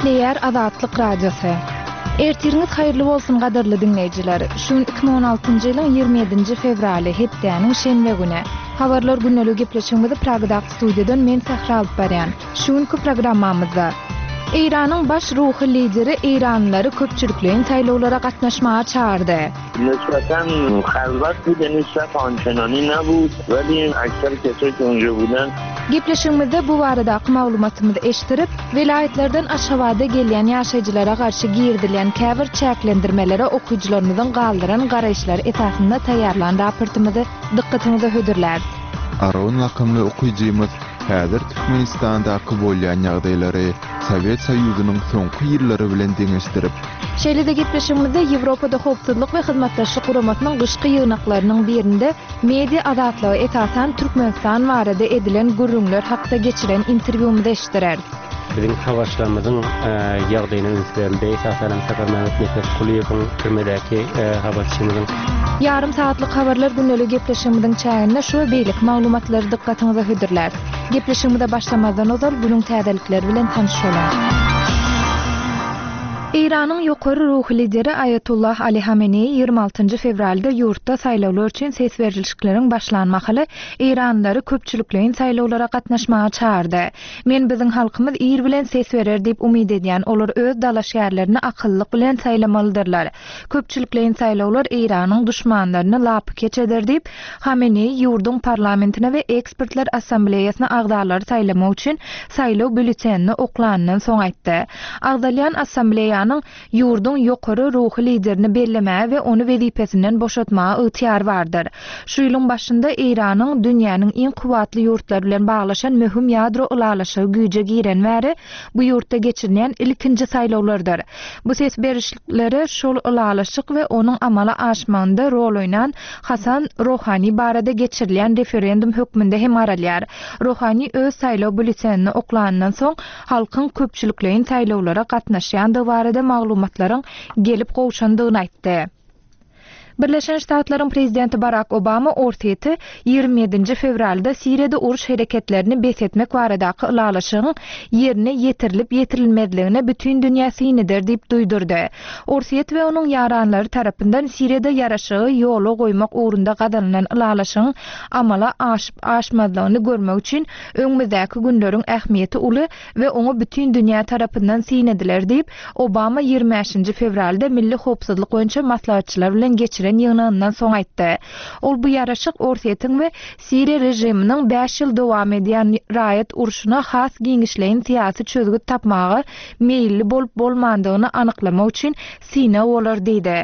Gepleýär Azatlyk Radiosy. Ertiriňiz haýyrly bolsun gadyrly diňleýjiler. Şu gün 2016-njy ýylyň 27-nji fewraly, hepdäniň şenbe güni. Habarlar gündeligi gepleşigimizi Pragadaky studiýadan men Sähra alyp barýan. Şu günki programmamyzda. Eýranyň baş ruhy lideri eýranlylary köpçülikleýin saýlawlara gatnaşmaga çagyrdy. Nisbeten halwat bude nisbet ançenani nabud weli ekser kesoi ki unjo buden. Gepleşigimizde bu baradaky maglumatymyzy eşdirip, welaýatlardan Aşgabada gelýän ýaşaýjylara garşy girizilýän käbir çäklendirmelere okyjylarymyzyň galdyran garaýyşlary esasynda taýýarlan raportymyzy dykgatyňyza hödürläris. Aron lakamly okyjymyz häzir Türkmenistandaky bolýan ýagdaýlary Sowet Soýuzynyň soňky ýyllary bilen deňeşdirip, Şeýle-de gepleşigimizde Ýewropada Howpsuzlyk we Hyzmatdaşlyk Guramasynyň gyşky ýygnaklarynyň birinde media azatlygy, esasan Türkmenistan barada edilen gürrüňler hakda geçiren interwýumyzy eşitdireris. Biziň habarçylarymyzyň ýagdaýyna üns berildi. Esasan hem Saparmämmet Nepesgulyýewiň türmedäki habarçymyzyň. Ýarym sagatlyk habarlar gündelik gepleşigimiziň çäginde şu we beýleki maglumatlary dykgatyňyza hödürläris. Gepleşigimize başlamazdan ozal günüň täzelikleri bilen tanyş boluň. Eýranyň ýokary ruhy lideri Aýatullah Ali Hameneýi 26-njy fewralda ýurtda saýlawlar üçin ses berlişikleriň başlan mahaly eýranlylary köpçülikleýin saýlawlara gatnaşmaga çagyrdy. Men biziň halkymyz ir bilen ses berer diýip umyt edýän, olar öz dalaşgärlerini akyllylyk bilen saýlamalydyrlar. Köpçülikleýin saýlawlar Eýranyň duşmanlaryny lapykeç eder diýip, Hameneýi ýurduň parlamentine we Ekspertler assambleýasyna agzalary saýlamak üçin saýlaw býulletenini oklanyndan soň aýtdy. Agzalýan assambleýanyň ýurduň ýokary ruhy liderini bellemäge we ony wezipesinden boşatmaga ygtyýary bardyr. Şu ýylyň başynda Eýranyň dünýäniň iň kuwwatly ýurtlary bilen baglaşan möhüm ýadro ylalaşygy güýje giren bäri bu ýurtda geçirilýän ilkinji saýlawlardyr. Bu ses berişliklere şol ylalaşyk we onuň amala aşmagynda rol oýnan Hasan Rohani barada geçirilýän referendum hökmünde hem garalýar. Rohani öz saýlaw býulletenini oklanyndan soň, halkyň köpçülikleýin saýlawlara gatnaşýandygy barada maglumatlaryň gelip gowşandygyny aýtdy. Birleşen Ştatlaryň prezidenti Barak Obama Orsýeti 27-nji fewralda Siriýada uruş hereketlerini bes etmek baradaky ylalaşygyň ýerine ýetirilip-ýetirilmezligine bütin dünýä syn eder diýip duýdurdy. Orsýet we onuň ýaranlary tarapyndan Siriýada ýaraşygy ýola goýmak ugrunda gazanylan ylalaşygyň amala aşyp-aşmazlygyny görmek üçin öňümizdäki günleriň ähmiýeti uly we oňa bütin dünýä tarapyndan syn ediler diýip, Obama 25-nji fewralda milli howpsuzlyk boýunça maslahatçylar bilen geçiren ýygnagyndan soň aýtdy. Ol bu ýaraşyk Orsýetiň we Siriýa režiminiň bäş ýyl dowam edýän raýat urşuna has giňişleýin syýasy çözgüt tapmaga meýilli bolup-bolmandygyny anyklamak üçin synag bolar diýdi.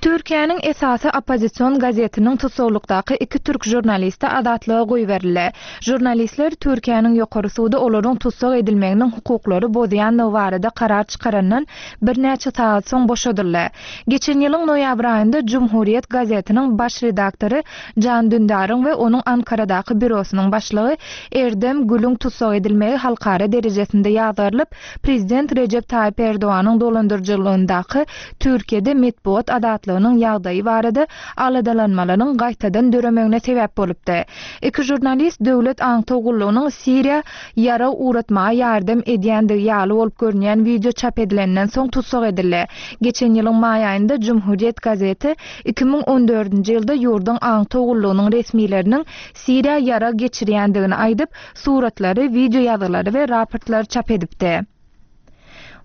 Türkiýäniň esasy oppozision gazetiniň tussaglykdaky iki türk žurnalisti azatlyga goýberildi. Žurnalistler Türkiýäniň ýokary sudy olaryň tussag edilmeginiň hukuklary bozýandygy barada karar çykarandan birnäçe sagat soň boşadyldy. Geçen ýylyň noýabr aýynda Cumhuriyet gazetiniň baş redaktory Jan Dündaryň we onuň Ankaradaky býurosynyň başlygy Erdem Gülüň tussag edilmegi halkara derejesinde ýazgarylyp, prezident Rejep Taýyp Erdoganyň dolandyryjylygyndaky Türkiýede metbugat azatlygynyň ýagdaýy barada aladalanmalaryň gaýtadan döremegine sebäp bolupdy. Iki žurnalist döwlet aňtaw gullugynyň Siriýa ýarag ugratmaga ýardam edýändigi ýaly bolup görünýän wideo çap edilenden soň tussag edildi. Geçen ýylyň maý aýynda Cumhuriyet gazeti 2014-nji ýylda ýurduň aňtaw gullugynyň resmileriniň Siriýa ýarag geçirýändigini aýdyp, suratlary, wideoýazgylary we raportlary çap edipdi.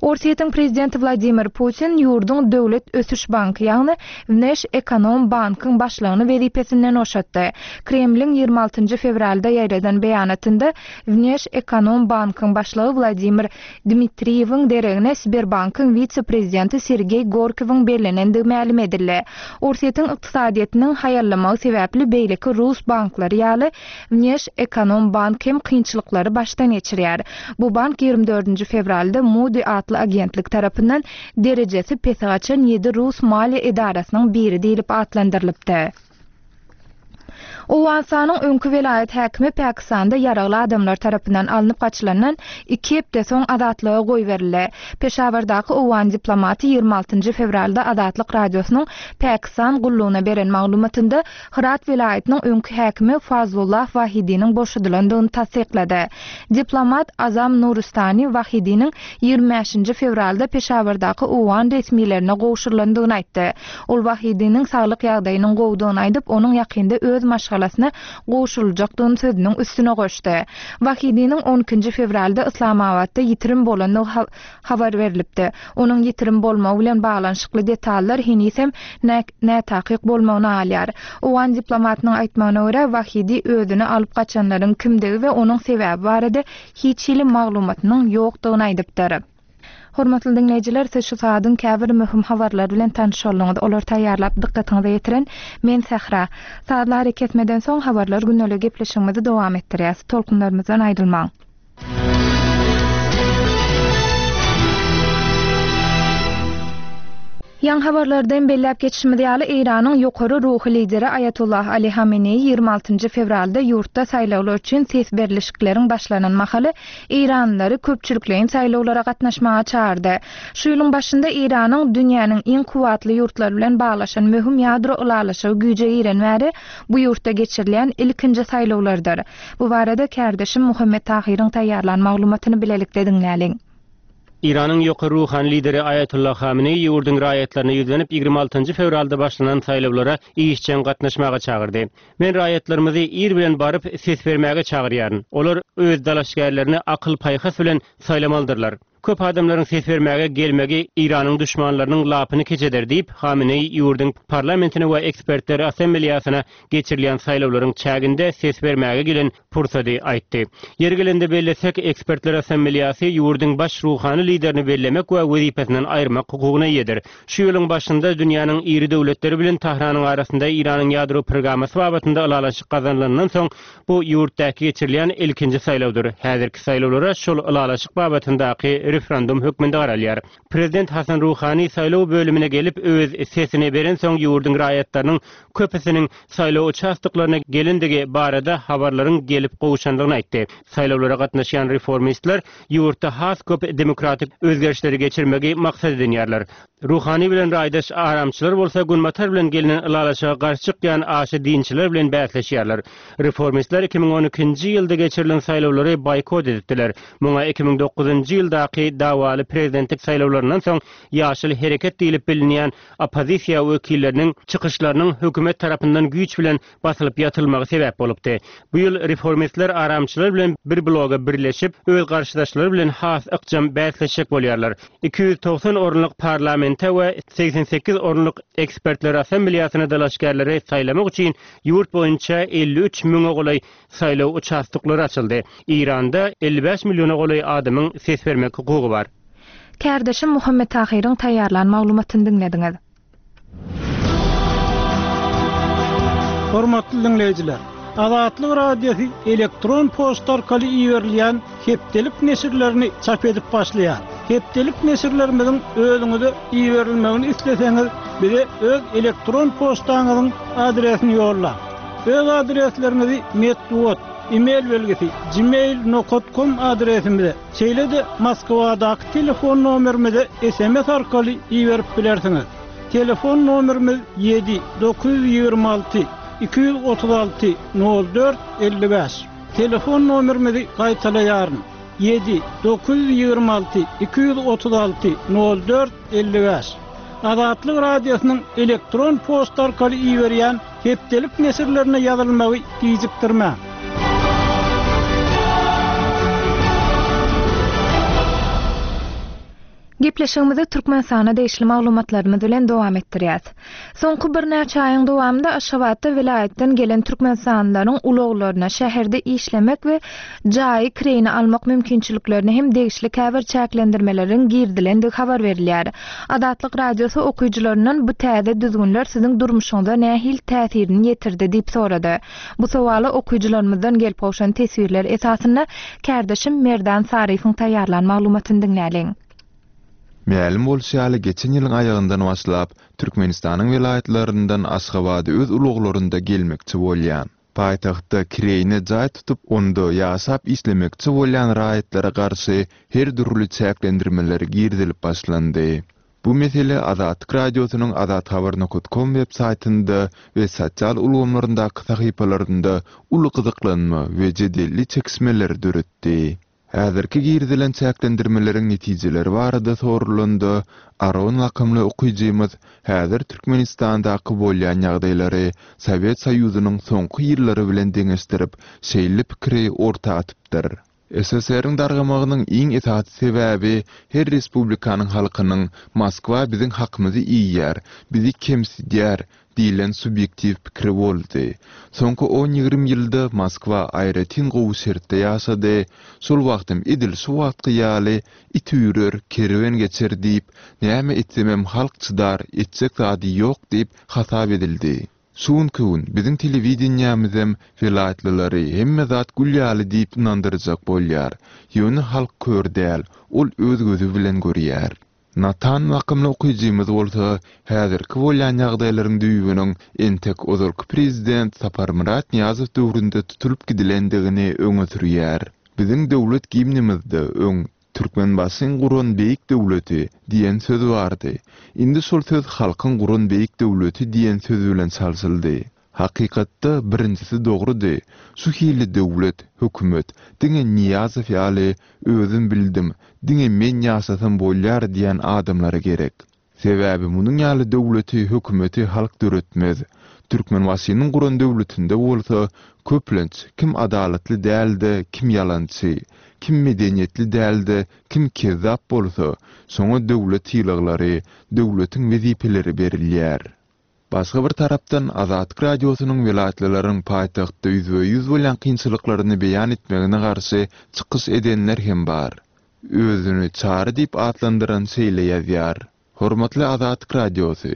Orsýetiň prezidenti Wladimir Putin ýurduň Döwlet ösüş banky, ýagny Wneşekonombankyň başlygyny wezipesinden boşatdy. Kremliň 26-njy fewralda ýaýradan beýanatynda Wneşekonombankyň başlygy Wladimir Dmitriýewiň deregine Sberbankyň wise-prezidenti Sergeý Gorkowyň bellenendigi mälim edildi. Orsýetiň ykdysadyýetiniň haýallamagy sebäpli beýleki rus banklary ýaly Wneşekonombank hem kynçylyklary başdan geçirýär. Bu bank 24-nji fewralda Moody atly agentlik tarapyndan derejesi pese gaçan ýedi rus maliýe edarasynyň biri diýlip atlandyrylypdy. Owganystanyň öňki welaýat häkimi Pakistanda ýaragly adamlar tarapyndan alnyp gaçylandan iki hepde soň azatlyga goýberildi. Peşawardaky owgan diplomaty 26 fewralda Azatlyk Radiosynyň Pakistan gullugyna beren maglumatynda Hyrat welaýatynyň öňki häkimi Fazlullah Wahidiniň boşadylandygyny tassyklady. Diplomat Azam Nuristani Wahidiniň 25 fewralda Peşawardaky owgan resmilerine gowşurylandygyny aýtdy. Ol Wahidiniň saglyk ýagdaýynyň gowudygyny aýdyp, onuň ýakynda öz maşgalasyna gowşuryljakdygyny sözüniň üstüne goşdy. Wahidiniň on ikinji fewralda Yslamabatda ýitirim bolandygy habar berlipdi. Onuň ýitirim bolmagy bilen baglanyşykly detallar henizem nätakyk bolmagyna galýar. Owgan diplomatynyň aýtmagyna görä, Wahidi özüni alyp gaçanlaryň kimdigi we onuň sebäbi barada hiç hili maglumatynyň ýokdugyny aýdypdyr. Hormatly diňleýjiler, siz şu sagadyň käbir möhüm habarlary bilen tanyş bolduňyz. Olary taýýarlap dykgatyňyza ýetiren men Sähra. Sazly arakesmeden soň Habarlar gündeliği gepleşigimizi dowam etdirýäs. Tolkunlarymyzdan aýrylmaň. Ýaňy habarlarda hem belläp geçişimiz ýaly, Eýranyň ýokary ruhy lideri Aýatollah Ali Hameneýi 26 fewralda ýurtda saýlawlar üçin ses berlişikleriň başlanan mahaly eýranlylary köpçülikleýin saýlawlara gatnaşmaga çagyrdy. Şu ýylyň başynda Eýranyň dünýäniň iň kuwwatly ýurtlary bilen baglaşan möhüm ýadro ylalaşygy güýje giren bäri bu ýurtda geçirilýän ilkinji saýlawlardyr. Bu barada kärdeşim Muhammet Tahyryň taýýarlan maglumatyny bilelikde diňläliň. Eýranyň ýokary ruhany lideri Aýatollah Hameneýi ýurduň raýatlaryna ýüzlenip, 26 fewralda başlanan saýlawlara işjeň gatnaşmaga çagyrdy. Men raýatlarymyzy ir bilen baryp, ses bermäge çagyrýaryn. Olar öz dalaşgärlerini akyl-paýhas bilen saýlamalydyrlar. Köp adamlaryň ses bermäge gelmegi Eýranyň duşmanlarynyň lapyny keç eder diýip, Hameneýi ýurduň parlamentine we ekspertler assambleýasyna geçirilýän saýlawlaryň çäginde ses bermäge gelen pursady aýtdy. Ýeri gelende bellesek, Ekspertler Assambleýasy ýurduň baş ruhany liderini bellemek we wezipesinden aýyrmak hukugyna eýedir. Şu ýylyň başynda dünýäniň iri döwletleri bilen Tahranyň arasynda Eýranyň ýadro programmasy babatynda ylalaşyk gazanylandan soň, bu ýurtdaky geçirilýän ilkinji saýlawdyr. Häzirki saýlawlara şol ylalaşyk babatyndaky referendum hökmünde garalýar. Prezident Hasan Ruhani saýlaw bölümine gelip, öz sesini berensoň ýurduň raýatlarynyň köpüsiniň saýlaw uçastoklaryna gelendigi barada habarlaryň gelip gowşandygyny aýtdy. Saýlawlara gatnaşýan reformistler ýurtda has köp demokratik özgerişleri geçirmegi maksat edinýärler. Ruhani bilen raýdaş aramçylar bolsa Günbatar bilen gelnen ylalaşyga garşy çykýan aşa dinçiler bilen bäsleşýärler. Reformistler 2012-nji ýylda geçirilen saýlawlary boýkot edipdiler. Muňa 2009-njy ýyldaky dawaly prezidentlik saýlawlaryndan soň Ýaşyl hereket diýlip bilinýän oppozisiýa wekilleriniň çykyşlarynyň hökümet tarapyndan güýç bilen basylyp ýatyrylmagy sebäp bolupdy. Bu ýyl reformistler aramçylar bilen bir bloga birleşip, öz garşydaşlary bilen has ykjam bäsleşjek bolýarlar. 290 orunlyk parlamente we 88 orunlyk ekspertler assambleýasyna dalaşgärleri saýlamak üçin ýurt boýunça 53 müňe golaý saýlaw uçastoklary açyldy. Eýranda 55 milliona golaý adamyň ses bermek hukugy bar. Kärdeşim Muhammet Tahyryň taýýarlan maglumatyny diňlediňiz. Hormatly diňleýjiler! Azatlyk Radiosy elektron poçta arkaly iberilýän hepdelik neşirlerini çap edip başlaýar. Hepdelik neşirlerimiziň özüňize iberilmegini isleseňiz, bize öz elektron poçtaňyzyň adresini ýollaň. Öz adresleriňizi metbugat, e-mail belgisi, gmail nokat kom adresimize, Şeýle-de Moskwadaky telefon nomerimize sms arkaly iberip bilersiňiz. Telefon nomerimiz ýedi 926 236 04 55. Telefon nomerimizi gaýtalaýaryn, ýedi 926 236 04 55. Azatlyk Radiosynyň elektron poçta arkaly iberýän Hepdelik neşirlerine ýazylmagy gijikdirmäň. Gepleşigimizi Türkmenistana degişli maglumatlarymyz bilen dowam etdirýäs. Soňky birnäçe aýyň dowamynda Aşgabatda welaýatdan gelen türkmenistanlylaryň ulaglaryna, şäherde işlemek we jaýy kireýine almak mümkinçiliklerine hem degişli käbir çäklendirmeleriň girizilendigi habar berilýär. Azatlyk Radiosy okyjylaryndan bu täze düzgünler siziň durmuşyňyza nähili täsirini ýetirdi diýip sorady. Bu sowala okyjylarymyzdan gelip gowşan teswirler esasynda kärdeşim Merdan Saryýewiň taýýarlan maglumatyny diňläliň. Mälim bolşy ýaly, geçen ýylyň aýagyndan başlap, Türkmenistanyň welaýatlaryndan Aşgabada öz ulaglarynda gelmekçi bolýan, paýtagtda kireýine jaý tutup, onda ýaşap işlemekçi bolýan raýatlara garşy her dürli çäklendirmeler girizilip başlandy. Bu mesele Azatlyk Radiosynyň azathabar nokat kom web saýtynda we sosial ulgamlaryndaky sahypalarynda uly gyzyklanma we jedelli çekişmeleri döretdi. Häzirki girizilen çäklendirmeleriň netijeleri barada soralanda, Aron lakamly okyjymyz häzir Türkmenistandaky bolýan ýagdaýlary Sowet Soýuzynyň soňky ýyllary bilen deňeşdirip, şeýle pikiri orta atypdyr. SSR-iň dargamagynyň iň esasy sebäbi her respublikanyň halkynyň Moskwa biziň hakymyzy iýýär, bizi kemsidýär diýlen subýektiw pikiri boldy. Soňky on-ýigrimi ýylda Moskwa aýratyn gowy şertde ýaşady, şol wagtam edil şu wagtky ýaly it üýrer, kerwen geçer diýip, näme etsemem halk çydar, etjek zady ýok diýip hasap edildi. Şu günki gün biziň telewideniýämizem welaýatlylary hemme zat gül ýaly diýip ynandyrjak bolýar. Ýöne halk kör däl, ol öz gözi bilen görýär. Natan lakymly okyjymyz bolsa häzirki bolýan ýagdaýlaryň düýbüniň entek ozalky prezident Saparmyrat Nyýazow döwründe tutulyp gidilendigini öňe sürýär. Biziň döwlet gimnimizde öň Türkmenbaşyň guran beýik döwleti diýen söz bardy. Indi şol söz halkyň guran beýik döwleti diýen söz bilen çalşyldy. Hakykatda birinjisi dogrudy. Şu hili döwlet, hökümet diňe Nyýazow ýaly özüm bildim, diňe men ýaşasam bolýar diýen adamlara gerek. Sebäbi munuň ýaly döwleti, hökümeti halk döretmez. Türkmenbaşynyň guran döwletinde bolsa, köplenç, kim adalatly däl-de, kim ýalançy, kim medeniýetli däl-de, kim kezzap bolsa, şoňa döwlet sylaglary, döwletiň wezipeleri berilýär. Başga bir tarapdan, Azatlyk Radiosynyň welaýatlylaryň paýtagtda ýüzbe-ýüz bolýan kynçylyklaryny beýan etmegine garşy çykyş edenler hem bar. Özüni Çary diýip atlandyran şeýle ýazýar, Hormatly Azatlyk Radiosy,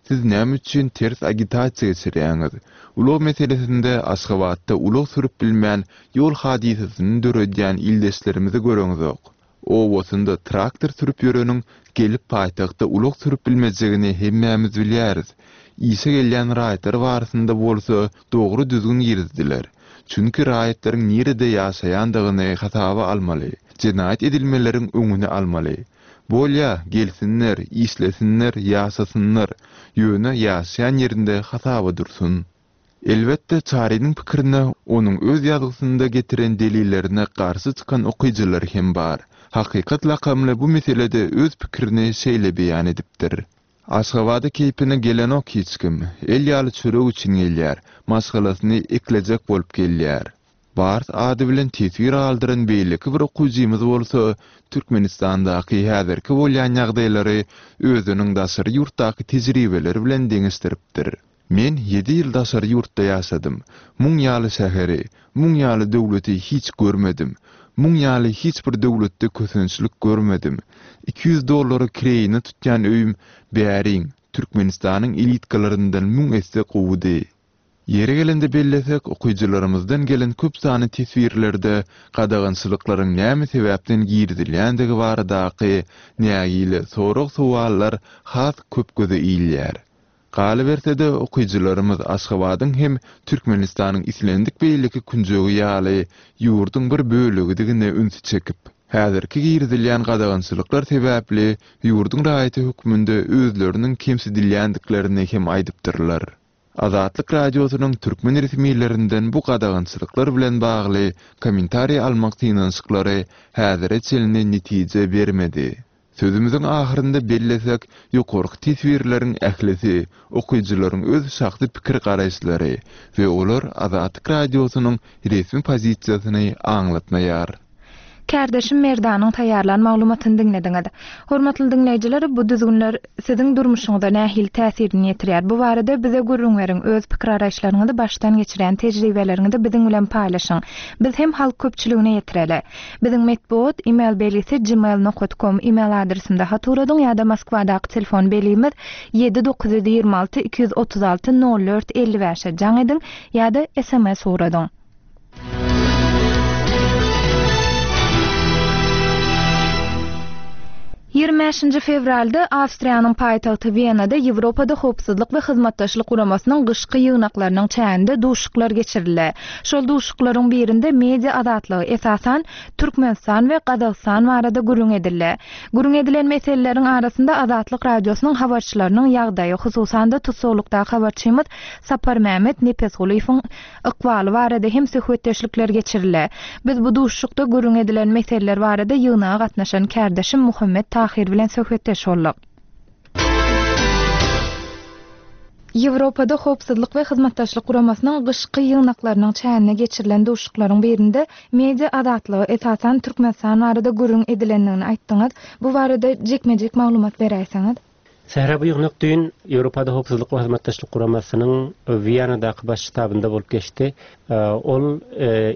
siz näme üçin ters agitasiýa geçirýäňiz? Ulag meselesinde Aşgabatda ulag sürüp bilmän ýol hadysasyny döredýän ildeşlerimizi göreňzok. Obasynda traktor sürüp ýöreniň gelip paýtagtda ulag sürüp bilmejegini hemmämiz bilýäris. Işe gelýän raýatlar barasynda bolsa dogry düzgün girizdiler. Çünki raýatlaryň nirede ýaşaýandygyny hasaba almaly, jenaýat edilmeleriň öňüni almaly. Bolýa, gelsinler, işlesinler, ýaşasynlar, ýöne ýaşaýan ýerinde hasaba dursun. Elbetde, Çarynyň pikirine onuň öz ýazgysynda getiren delillerine garşy çykan okyjylar hem bar. Hakykat lakamly bu meselede öz pikirini şeýle beýan edipdir. Aşgabada keýpine gelenok hiç kim. El ýaly çörek üçin gelýär. Maşgalasyny eklejek bolup gelýär. Bars ady bilen teswir galdyran beýleki bir okyjymyz bolsa Türkmenistandaky häzirki bolýan ýagdaýlary özüniň daşary ýurtdaky tejribeleri bilen deňeşdiripdir. Men ýedi ýyl daşary ýurtda ýaşadym. Muň ýaly şäheri, muň ýaly döwleti hiç görmedim. Muň ýaly hiç bir döwletde kösençlik görmedim. 200 dollara kireýine tutýan öýüm bäriň, Türkmenistanyň elitkalaryndan müň esse gowudy. Ýeri gelende bellesek, okyjylarymyzdan gelen köp sanly teswirlerde gadagançylyklaryň näme sebäpden girizilýändigi baradaky nägile sorag-sowallar has köp göze ilýär. Galyberse-de, okyjylarymyz Aşgabadyň hem Türkmenistanyň islendik beýleki künjegi ýaly ýurduň bir bölegidigine ünsi çekip, häzirki girizilýän gadagançylyklar sebäpli ýurduň raýaty hökmünde özleriniň kemsidilýändiklerini hem aýdypdyrlar. Azatlyk Radiosynyň türkmen resmilerinden bu gadagançylyklar bilen bagly kommentariý almak synanyşyklary häzire çenli netije bermedi. Sözümiziň ahyrynda bellesek, ýokarky teswirleriň ählisi okyjylaryň öz şahsy pikir-garaýyşlary we olar Azatlyk Radiosynyň resmi pozisiýasyny aňlatmaýar. Kärdeşim Merdanyň taýýarlan maglumatyny diňlediňiz. Hormatly diňleýjiler, bu düzgünler siziň durmuşyňyza nähili täsirini ýetirýär? Bu barada bize gürrüň beriň, öz pikir-garaýyşlaryňyzy, başdan geçirýän tejribeleriňizi biziň bilen paýlaşyň. Biz hem halk köpçüligine ýetireli. Biziň metbugat email belgisi gmail nokat kom email adresimize hat ugradyň ýa-da Moskwadaky telefon belgimiz ýedi 926 236 04 55-e jaň ediň ýa-da sms ugradyň. Ýigrimi bäşinji fewralda Awstriýanyň paýtagty Wenada Ýewropada Howpsuzlyk we Hyzmatdaşlyk Guramasynyň gyşky ýygnaklarynyň çäginde duşuşyklar geçirildi. Şol duşuşyklaryň birinde media azatlygy, esasan, Türkmenistan we Gazagystan barada gürrüň edildi. Gürrüň edilen meseleleriň arasynda Azatlyk Radiosynyň habarçylarynyň ýagdaýy, hususan-da, tussaglykdaky habarçymyz Saparmämmet Nepesgulyýewiň ykbaly barada hem söhbetdeşlikler geçirildi. Biz bu duşuşykda gürrüň edilen meseleler barada ýygnaga gatnaşan kärdeşim Muhammet Tahyr bilen söhbetdeş bolduk. Ýewropada Howpsuzlyk we Hyzmatdaşlyk Guramasynyň gyşky ýygnaklarynyň çäginde geçirilen duşuşyklaryň birinde media azatlygy, esasan, Türkmenistan barada gürrüň edilendigini aýtdyňyz. Bu barada jikme-jik maglumat beräýseňiz? Sähra bu ýygnak düýn Ýewropada Howpsuzlyk we Hyzmatdaşlyk Guramasynyň Wiýanadaky baş ştabynda bolup geçdi. Ol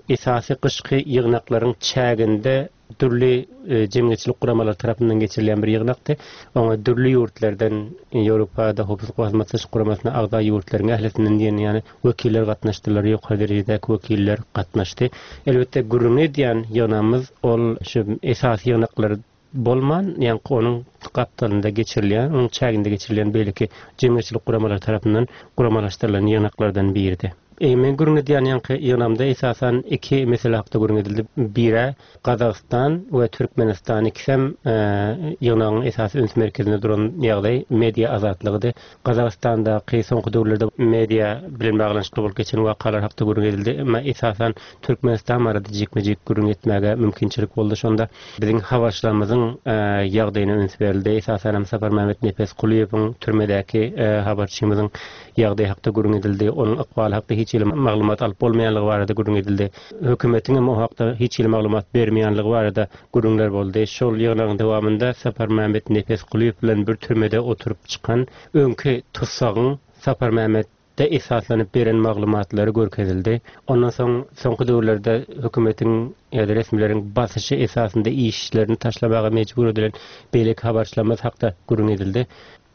esasy gyşky ýygnaklaryň çäginde dürli jemgyýetçilik guramalary tarapyndan geçirilýän bir ýygnakdy. Oňa dürli ýurtlardan Ýewropada Howpsuzlyk we Hyzmatdaşlyk Guramasyna agza ýurtlaryň ählisinden diýen ýaly wekiller gatnaşdylar, ýokary derejedäki wekiller gatnaşdy. Elbetde gürrüňini edýän ýygnagymyz ol şu esasy ýygnaklar bolman, ýaňky onuň gapdalynda geçirilýän, onuň çäginde geçirilýän beýleki jemgyýetçilik guramalary tarapyndan guramalaşdyrylan ýygnaklardan biridi. Men gürrüň edýän ýaňky ýygnagymda esasan iki mesele hakda gürrüň edildi. Birä Gazagystan we Türkmenistan ikisem ýygnagyň esasy üns merkezinde duran ýagdaý media azatlygydy. Gazagystandaky soňky döwürlerde media bilen baglanyşykly bolup geçen wakalar hakda gürrüň edildi. Emma esasan Türkmenistan barada jikme-jik gürrüň etmäge mümkinçilik boldy. Şonda biziň habarçylarymyzyň ýagdaýyna üns berildi. Esasanam Saparmämmet Nepesgulyýewiň türmedäki habarçymyzyň ýagdaýy hakda gürrüň edildi. Onuň ykbaly hakda hiç hili maglumat alyp bolmaýanlygy barada gürrüň edildi. Hökümetiň hem o hakda hiç hili maglumat bermeýänligi barada gürrüňler boldy. Şol ýygnagyň dowamynda Saparmämmet Nepesgulyýew bilen bir türmede oturyp çykan öňki tussagyň Saparmämmet de esaslanyp beren maglumatlary görkezildi. Ondan soň soňky döwürlerde hökümetiň ýa-da resmileriň basyşy esasynda işlerini taşlamaga mejbur edilen beýleki habarçylarymyz hakda gürrüň edildi.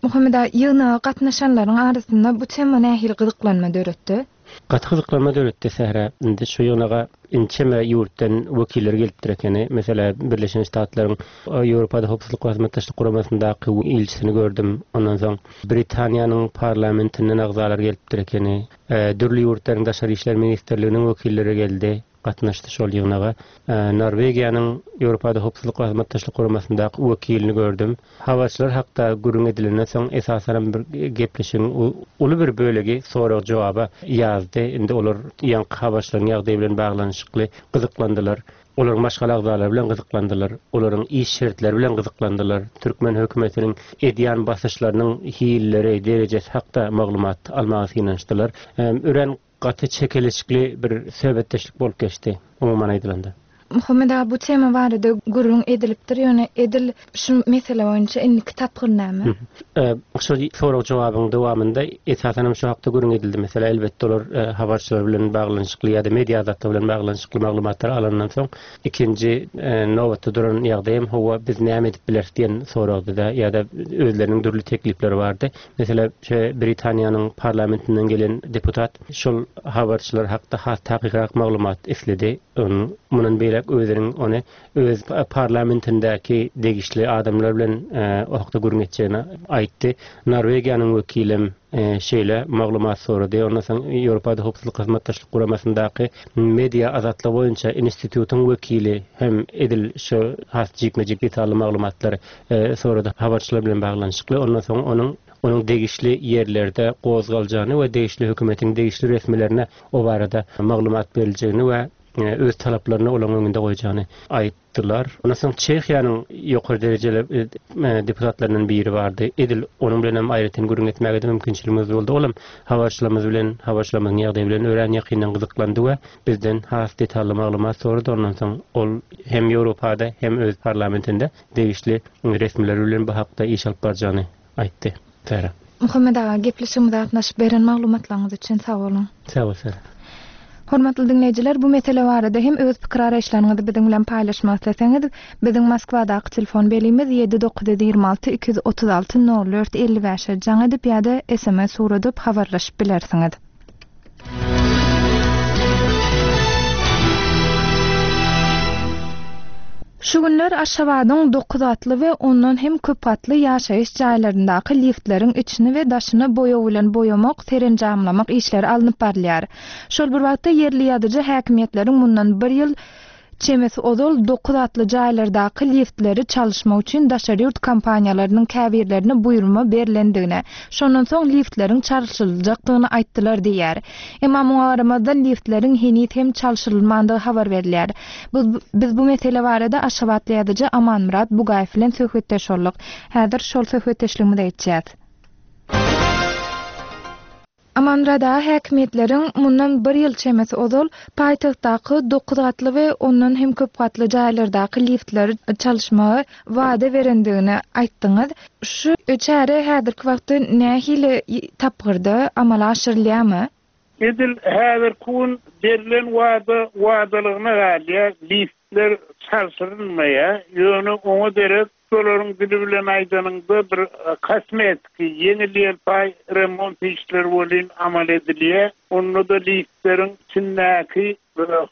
Muhammet aga, ýygnaga gatnaşanlaryň arasynda bu tema nähili gyzyklanma döretdi? Gaty gyzyklanma döretdi Sähra. Indi şu ýygnaga ençeme ýurtdan wekiller gelipdir ekeni. Meselä, Birleşen Ştatlaryň Ýewropada Howpsuzlyk we Hyzmatdaşlyk Guramasyndaky ilçisini gördüm. Ondan soň Britaniýanyň parlamentinden agzalar gelipdir ekeni. Dürli ýurtlaryň daşary işler ministrliginiň wekilleri geldi, gatnaşdy şol ýygnaga. Norwegiýanyň Ýewropada Howpsuzlyk we Hyzmatdaşlyk Guramasyndaky wekilini gördüm. Habarçylar hakda gürrüň edilenden soň, esasanam bir gepleşigiň uly bir bölegi sorag-jogaba ýazdy. Indi olar ýaňky habarçylaryň ýagdaýy bilen baglanyşykly gyzyklandylar. Olaryň maşgala agzalary bilen gyzyklandylar. Olaryň iş şertleri bilen gyzyklandylar. Türkmen hökümetiniň edýän basyşlarynyň hilleri, derejesi hakda maglumat almaga synanyşdylar. Örän gaty çekeleşikli bir söhbetdeşlik bolup geçdi, umuman aýdylanda. Muhammet aga, bu tema barada gürrüň edilipdir, ýöne edil şu mesele boýunça indiki tapgyr näme? Şol sorag-jogabyň dowamynda esasanam şu hakda gürrüň edildi. Meselä, elbetde olar habarçylar bilen baglanyşykly ýa-da media azatlygy bilen baglanyşykly maglumatlary alandan soň, ikinji nobatda duran ýagdaý hem hawa, biz näme edip bileris diýen soragdy-da ýa-da özleriniň dürli teklipleri bardy. Meselä, şu Britaniýanyň parlamentinden gelen deputat şol habarçylar hakda has takykrak maglumat isledi. Mundan beýläk özüniň ony öz parlamentindäki degişli adamlar bilen o hakda gürrüň etjegini aýtdy. Norwegiýanyň wekilem şeýle maglumat sorady. Ondan soň Ýewropada Howpsuzlyk Hyzmatdaşlyk Guramasyndaky media azatlygy boýunça institutyň wekili hem edil şu has jikme-jik detally maglumatlary sorady habarçylar bilen baglanyşykly. Ondan soň onuň onuň degişli ýerlerde gozgaljagyny we degişli hökümetiň degişli resmilerine o barada maglumat beriljegini we öz talaplaryny olaryň öňünde goýjagyny aýtdylar. Ondan soň Çehiýanyň ýokary derejeli deputatlaryndan biri bardy. Edil onuň bilen hem aýratyn gürrüň etmäge-de mümkinçiligimiz boldy. Ol hem habarçylarymyz bilen, habarçylarymyzyň ýagdaýy bilen örän ýakyndan gyzyklandy we bizden has detally maglumat sorady. Ondan soň ol hem Ýewropada, hem öz parlamentinde degişli resmiler bilen bu hakda iş alyp barjagyny aýtdy. Sähra. Muhammet aga, gepleşigimize gatnaşyp beren maglumatlaryňyz üçin sag boluň. Sag bol Sähra. Hormatly diňleýjiler, bu mesele barada hem öz pikir-garaýyşlaryňyzy biziň bilen paýlaşmak isleseňiz, biziň Moskwadaky telefon belgimiz ýedi 926 236 04 55-e jaň edip ýa-da sms ugradyp habarlaşyp bilersiňiz. Şu günler Aşgabadyň dokuzgatly we ondan hem köpgatly ýaşaýyş jaýlaryndaky liftleriň içini we daşyny boýag bilen boýamak, serenjamlamak işleri alnyp barylýar. Şol bir wagtda ýerli ýazyjy häkimiýetleriň mundan bir ýyl çemesi ozal dokuzgatly jaýlardaky liftleri çalyşmak üçin daşary ýurt kompaniýalarynyň käbirlerine buýurma berlendigini, şondan soň liftleriň çalşyljakdygyny aýtdylar diýýär. Emma muňa garamazdan liftleriň heniz hem çalşyrylmandygy habar berilýär. Biz bu mesele barada aşgabatly ýazyjy Amanmyrat Bugaýew bilen söhbetdeş bolduk. Häzir şol söhbetdeşligimize geçýäs. Amanmyrat aga häkimiýetleriň mundan bir ýyl çemesi ozal paýtagtdaky dokuzgatly we ondan hem köp gatly jaýlardaky liftleri çalyşmagy wada berendigini aýtdyňyz. Şu çäre häzirki wagtda nähili tapgyrda amala aşyrylýarmy? Edil häzirki gün berlen wada wadalygyna galýar, liftler çalşyrylmaýar, ýöne oňa derek şolaryň dili bilen aýdanyňda bir kosmetiki, ýeňil-ýelpaý remont işleri welin amal edilýär. Onda-da liftleriň içindäki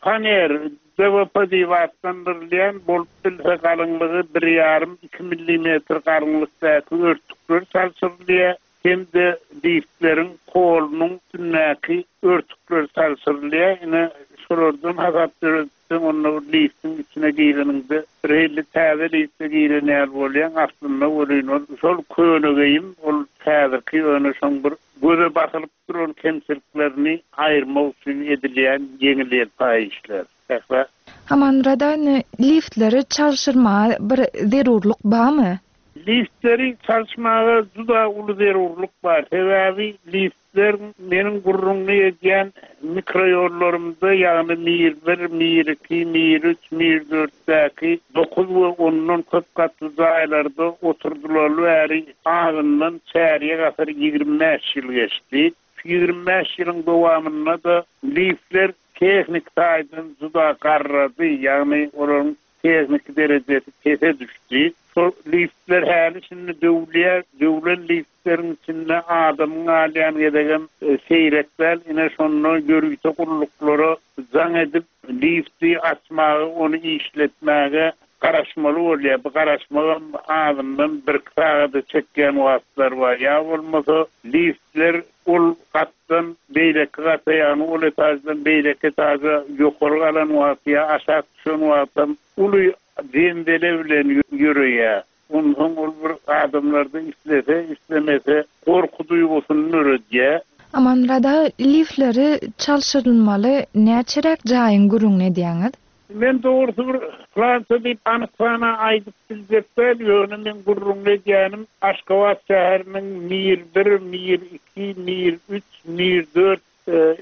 faner, DWP diýip atlandyrylýan, bolup bilse galyňlygy bir ýarym, iki millimetr galyňlykdaky örtükler çalşyrylýar. Hem-de liftleriň polunyň üstündäki örtükler çalşyrylýar. Ine, şolardan hasap ýöretseň, onda bir liftiň içine gireniňde birhili täze lifte giren ýaly bolýaň. Aslynda welin ol şol köne geýim, ol häzirki ýöne şoň bir göze basylyp duran kemçiliklerini aýyrmak üçin edilýän ýeňil-ýelpaý işler. Sähra. Amanmyrat aga, indi liftleri çalşyrmaga bir zerurlyk barmy? Liftleri çalyşmaga juda uly zerurlyk bar. Sebäbi liftler meniň gürrüňini edýän mikroýollarymda, ýagny Mir bir, Mir iki, Mir üç, Mir dörtdäki dokuz we ondan köp gatly jaýlarda oturdylaly bäri azyndan çärýek asyr, 25 ýyl geçdi. Şu 25 ýylyň dowamynda-da liftler tehniki taýdan juda garrady, ýagny olaryň tehniki derejesi pese düşdi. Şol liftler häli-şindi döwülýär. Döwlen liftleriň içinde adamyň galýan gezegem seýrek däl. Ine, şonda ýörite gulluklara jaň edip, lifti açmaga, ony işletmäge garaşmaly bolýar. Bu garaşmagam azyndan birki sagada çekýän wagtlar bar. Ýa bolmasa, liftler ol gatdan beýleki gata, ýagny ol etaždan beýleki etaža ýokary galan wagty ýa aşak düşen wagtam uly zenzele bilen ýöreýär. Onsoň ol bir adamlarda islese, islemese gorky duýgusyny döredýär. Amanmyrat aga, liftleri çalşyrylmaly näçeräk jaýyň gürrüňini edýäňiz? Men dogrusy bir plança diýip anyk sana aýdyp biljek däl, ýöne meň gürrüňini edýänim Aşgabat şäheriniň Mir bir, Mir iki, Mir üç, Mir dört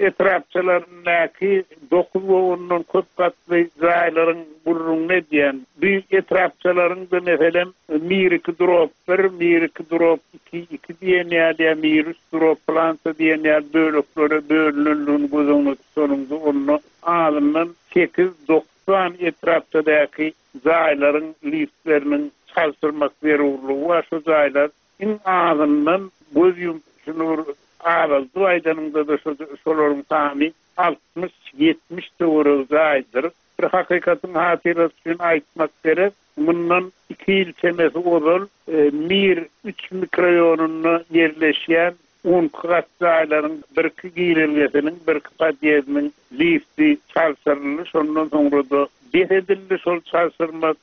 etrapçalaryndaky dokuz we ondan köp gatly jaýlaryň gürrüňini edýän. Bu etrapçalaryň-da meselem Mir iki drop bir, Mir iki drop iki, iki diýen ýaly ýa Mir üç drop plança diýen ýaly böleklere bölünendigini göz öňünde tutanyňda onda azyndan sekiz-dokuz sany etrapçadaky jaýlaryň liftleriniň çalşyrmak zerurlygy bar. Şu jaýlar iň azyndan göz ýumup şuny bir azaldyp aýdanyňda-da şolaryň sany 60-70 töweregi jaýdyr. Bir hakykatyň hatyrasy üçin aýtmak gerek, mundan iki ýyl çemesi ozal Mir üç mikroýonynda ýerleşýän On iki gat jaýlaryň birki girelgesiniň, birki podýezdiniň lifti çalşyryldy, şondan soňra-da bes edildi şol çalşyrmak.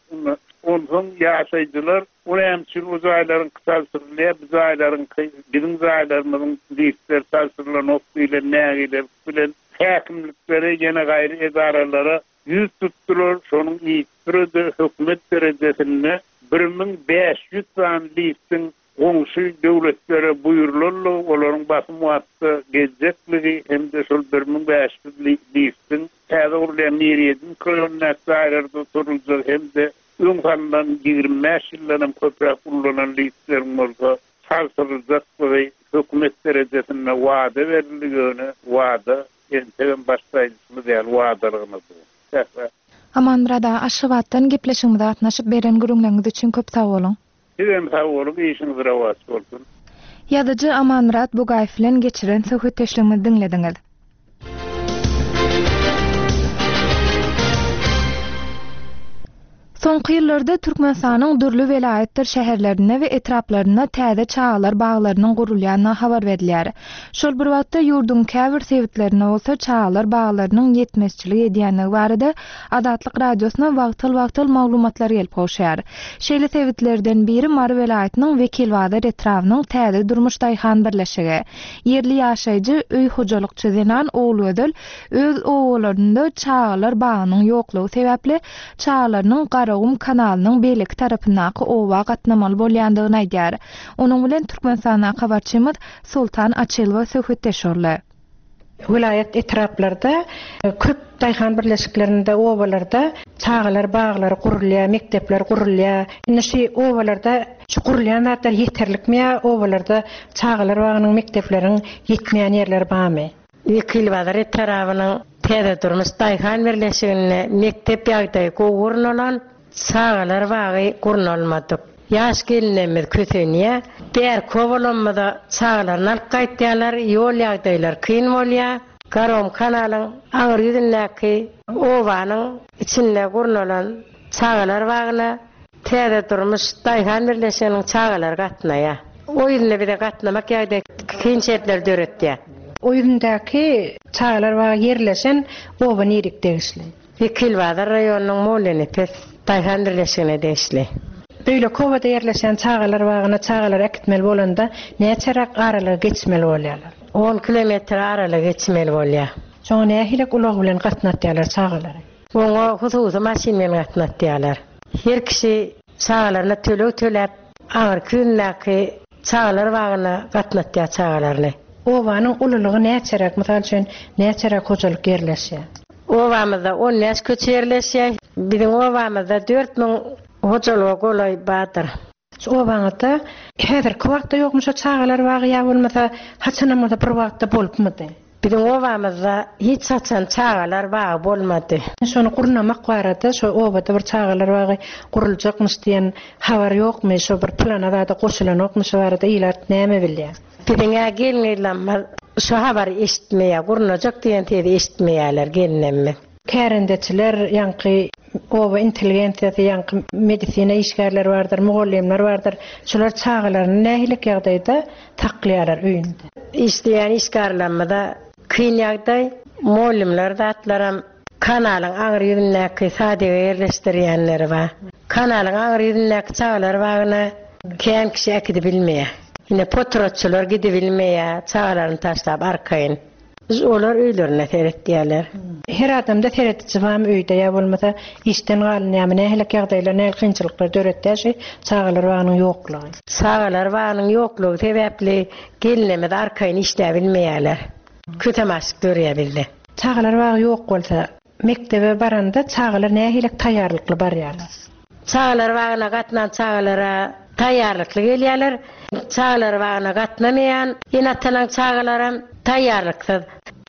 Onsoň ýaşaýjylar, O näme üçin o jaýlaryňky çalşyrylýar, bu jaýlaryňky, biziň jaýlarymyzyň liftleri çalşyrylanok diýlen nägilelik bilen häkimliklere, ýene gaýry edaralara ýüz tutdular. Şonuň yzysüre-de hökümet derejesinde 1500 sany liftiň goňşy döwletlere buýrulandygy, olaryň basym wagtda geljekligi hem-de şol 1500 liftiň täze gurulýan Mir ýedi mikroýonyndaky jaýlarda oturyljagy hem-de öň salnan 25 ýyldan hem köpräk ullanan liftleriň bolsa çalşyryljakdygy hökümet derejesinde wada berildi, ýöne wada entegem başda aýdyşymyz ýaly wadalygyna dur. Sähra. Amanmyrat aga Aşgabatdan gepleşigimize gatnaşyp beren gürrüňleriňiz üçin köp sag boluň. Sizem sag boluň işiňiz rowaç bolsun. Ýazyjy Amanmyrat Bugaýew bilen geçiren söhbetdeşligimizi diňlediňiz. Soňky ýyllarda Türkmenistanyň dürli welaýatdyr şäherlerinde we etraplarynda täze çagalar baglarynyň gurulýandygy habar berilýär. Şol bir wagtda, ýurduň käbir sebitlerinde bolsa çagalar baglarynyň ýetmezçilik edýändigi barada Azatlyk Radiosyna wagtal-wagtal maglumatlar gelip gowşýar. Şeýle sebitlerden biri Mary welaýatynyň Wekilbazar etrabynyň Täze durmuş daýhan birleşigi. Ýerli ýaşaýjy, öý hojalykçy zenan Ogulgözel öz obalarynda çagalar bagynyň ýoklugy sebäpli çagalarynyň Garagum kanalynyň beýleki tarapyndaky oba gatnamaly bolýandygyny aýdýar. Onuň bilen Türkmenistandaky habarçymyz Soltan Açylowa söhbetdeş boldy. Welaýat etraplarda köp daýhan birleşiklerinde, obalarda çagalar baglary gurulýar, mekdepler gurulýar. Indi şu obalarda şu gurulýan zatlar ýeterlikmi ýa obalarda çagalar bagynyň, mekdepleriň ýetmeýän ýerleri barmy? Wekilbazar etarabynyň Täze durmuş daýhan birleşiginde mekdep ýagdaýy gowy gurnalan, çagalar bagy gurnalmadyk. Ýaş gelinlerimiz kösenýär. Bärki obalarymyza çagalaryny alyp gaýtýarlar, ýol ýagdaýlary kyn bolýar. Garagum kanalyň aňry ýüzündäki obanyň içinde gurnalan çagalar bagyna Täze durmuş daýhan birleşiginiň çagalary gatnaýar. O ýüzünde bize gatnamak ýagdaýy kyn şertleri döretýär. O ýüzündäki çagalar bagy ýerleşen oba nirik degişli? Wekilbazar raýonynyň Mollanepes daýhan birleşigine degişli. Beýleki obada ýerleşen çagalar bagyna çagalary äkitmeli bolanda näçeräk aralygy geçmeli bolýarlar? On kilometr aralygy geçmeli bolýar. Şoňa nähilek ulag bilen gatnatýarlar çagalary? Oňa hususy maşyn bilen gatnatýarlar. Her kişi çagalaryna töleg töläp, aňyrky ýüzündäki çagalar bagyna gatnatýar çagalaryny. Obanyň ululygy näçeräk, mysal üçin, näçeräk hojalyk ýerleşýär? Obamyzda on bäş köçe ýerleşýär. Biziň obamyzda 4000 hojalyga golaý bardyr. Şu obaňyzda häzirki wagtda ýokmy şo çagalar bagy ýa bolmasa haçanam bolsa bir wagtda bolupmydy? Biziň obamyzda hiç haçan çagalar bagy bolmady. Şony gurnamak barada şo obada bir çagalar bagy guruljakmyş diýen habar ýokmy şo bir plana zada goşulanokmy şo barada ilat näme bilýär? Biziň-ä gelin-gyzlarymyz şo habary eşitmeýär, gurnajak diýen sezi eşitmeýärler gelinlerimiz. Kärendeçiler, ýaňky oba intelligensiýasy, ýaňky medisina işgärleri bardyr, mugallymlar bardyr. Şular çagalaryny nähiliek ýagdaýda saklaýarlar öýünde? Işleýän işgärlerimize kyn ýagdaý. Mugallymlar zatlaram kanalyň aňry ýüzündäki sadige ýerleşdirýänleri bar. Kanalyň aňry ýüzündäki çagalar bagyna kän kişi äkidibilmeýär. Ine potratçylar gidibilmeýär, çagalaryny taşlap arkaýyn. Olar öýlerine seretýärler. Her adamda serediji barmy öýde ýa bolmasa işden galynýarmy nähilek ýagdaýlar nähili kynçylyklar döretýär şu çagalar bagynyň ýoklugy. Çagalar bagynyň ýoklugy sebäpli gelinlerimiz arkaýyn işläbilmeýärler. Kösem açlyk dörýär bizde. Çagalar bagy ýok bolsa Mekdebe baranda çagalar nähili taýýarlykly barýarlar? Çagalar bagyna gatnan çagalara taýýarlykly gelýärler. Çagalar bagyna gatnamaýan ene-atalaň çagalaram taýýarlyksyz.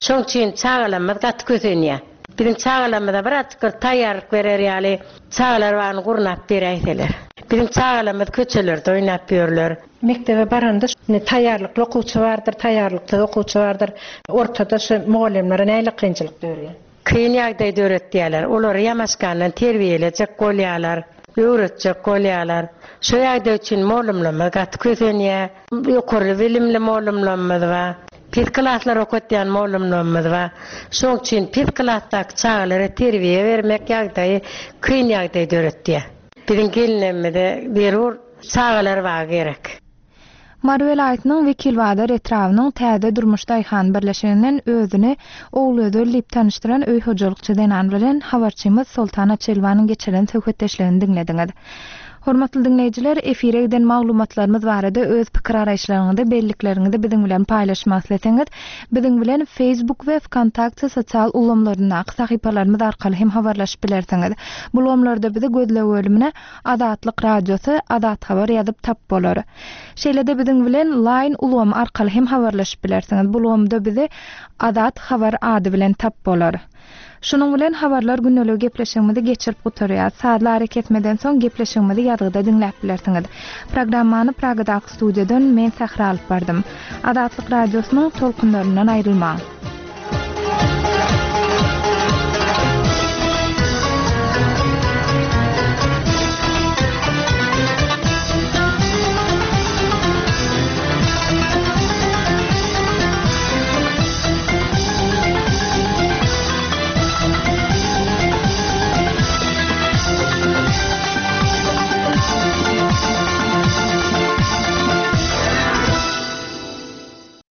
Şoň üçin çagalarymyz gaty kösenýär. Biziň çagalarymyza birazjyk bir taýýarlyk berer ýaly çagalar bagyny gurnap beräýseler. Biziň çagalarymyz köçelerde oýnap ýörler. Mekdebe baranda taýýarlykly okuwçy bardyr, taýýarlyksyz okuwçy bardyr. Ortada şu mugallymlara nähili kynçylyk dörýär? Kyn ýagdaý döretýärler. Olary ýamaşgandan terbiýelejek bolýarlar, öwretjek bolýarlar. Şo ýagdaý üçin mollumlarymyz gaty kösenýär. Ýokary bilimli mollumlarymyz bar. Pes klaslar okatýan mollumlarymyz bar. Şoň üçin pes klasdaky çagalara terbiýe bermek ýagdaýy kyn ýagdaý döretýär. Biziň gelinlerimize zerur çagalar bagy gerek. Mary welaýatynyň Wekilbazar etrabynyň Täze durmuş daýhan birleşiginden özüni Ogulgözel diýip tanyşdyran öý hojalykçy zenan bilen habarçymyz Soltan Açelwanyň geçiren söhbetdeşligini diňlediňiz. Hormatly diňleýjiler, efire giden maglumatlarymyz barada öz pikir-garaýyşlaryňyzy, bellikleriňizi biziň bilen paýlaşmak isleseňiz, biziň bilen Facebook we Wkontakte sosial ulgamlaryndaky sahypalarymyz arkaly hem habarlaşyp bilersiňiz. Bu ulgamlarda bizi gözleg bölümine Azatlyk Radiosy, Azat Habar ýazyp tap bolar. Şeýle-de biziň bilen Line ulgamy arkaly hem habarlaşyp bilersiňiz. Bu ulgamda bizi Azat Habar ady bilen tap bolar. Şunuň bilen Habarlar gündeligi gepleşigimizi geçirip gutarýas. Sazly arakesmeden soň gepleşigimizi ýazgyda diňläp bilersiňiz. Programmany Pragadaky studiýadan men Sähra alyp bardym. Azatlyk Radiosynyň tolkunlaryndan aýrylmaň!